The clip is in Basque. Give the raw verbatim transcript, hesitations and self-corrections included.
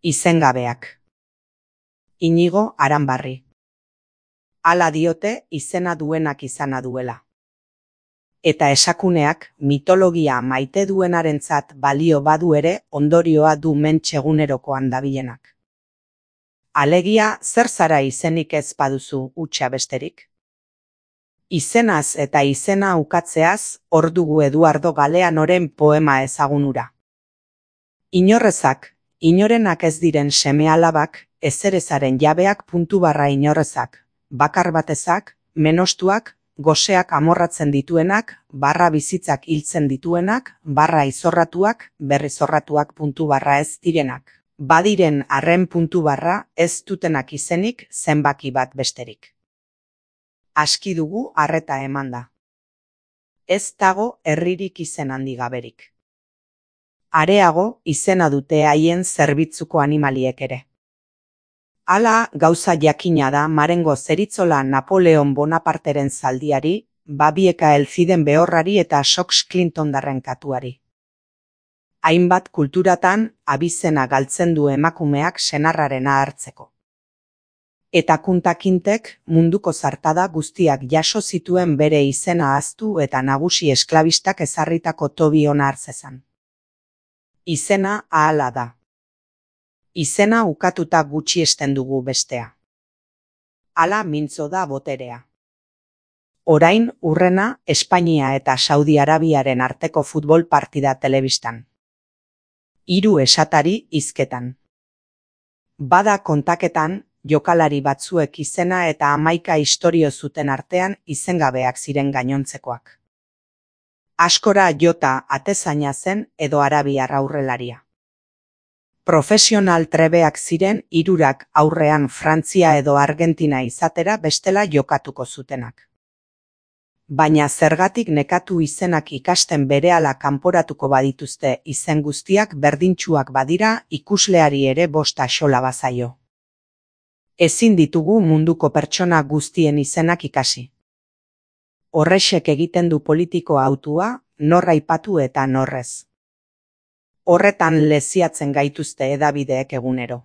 Izengabeak. Inigo Aranbarri. Hala diote izena duenak izana duela. Eta esakuneak mitologia maite duenarentzat balio badu ere ondorioa du mentxegunerokoan dabilenak. Alegia zer zara izenik ez baduzu hutsa besterik? Izenaz eta izena ukatzeaz hor dugu Eduardo Galeanoren poema ezagunura. Inorrezak, inorenak ez diren seme-alabak, ezerezaren jabeak puntu barra inorrezak, bakar batezak, menostuak, goseak amorratzen dituenak, barra bizitzak hiltzen dituenak, barra izorratuak, berrizorratuak puntu barra ez direnak. Badiren arren puntu barra ez dutenak izenik zenbaki bat besterik. Aski dugu arreta emanda. Ez dago herririk izen handi gaberik. Areago izena dute haien zerbitzuko animaliek ere. Hala gauza jakina da Marengo zeritzola Napoleon Bonaparteren zaldiari, Babieka Elziden behorrari eta Sox Clintondarren katuari. Hainbat kulturatan abizena galtzen du emakumeak senarrarena hartzeko. Eta kuntakintek munduko zartada guztiak jaso zituen bere izena ahaztu eta nagusi esklabistak ezarritako tobi ona hartzezan. Izena ahala da. Izena ukatuta gutxiesten dugu bestea. Hala mintzo da boterea. Orain hurrena Espainia eta Saudi Arabiaren arteko futbol partida telebistan. Hiru esatari hizketan. Bada kontaketan, jokalari batzuek izena eta hamaika istorio zuten artean izengabeak ziren gainontzekoak. Askora jota atezaina zen edo arabiar aurrelaria. Profesional trebeak ziren hirurak aurrean Frantzia edo Argentina izatera bestela jokatuko zutenak. Baina zergatik nekatu izenak ikasten berehala kanporatuko badituzte izen guztiak berdintsuak badira ikusleari ere bost axola bazaio. Ezin ditugu munduko pertsona guztien izenak ikasi. Horrexek egiten du politiko hautua, nor aipatu eta norrez. Horretan leziatzen gaituzte hedabideek egunero.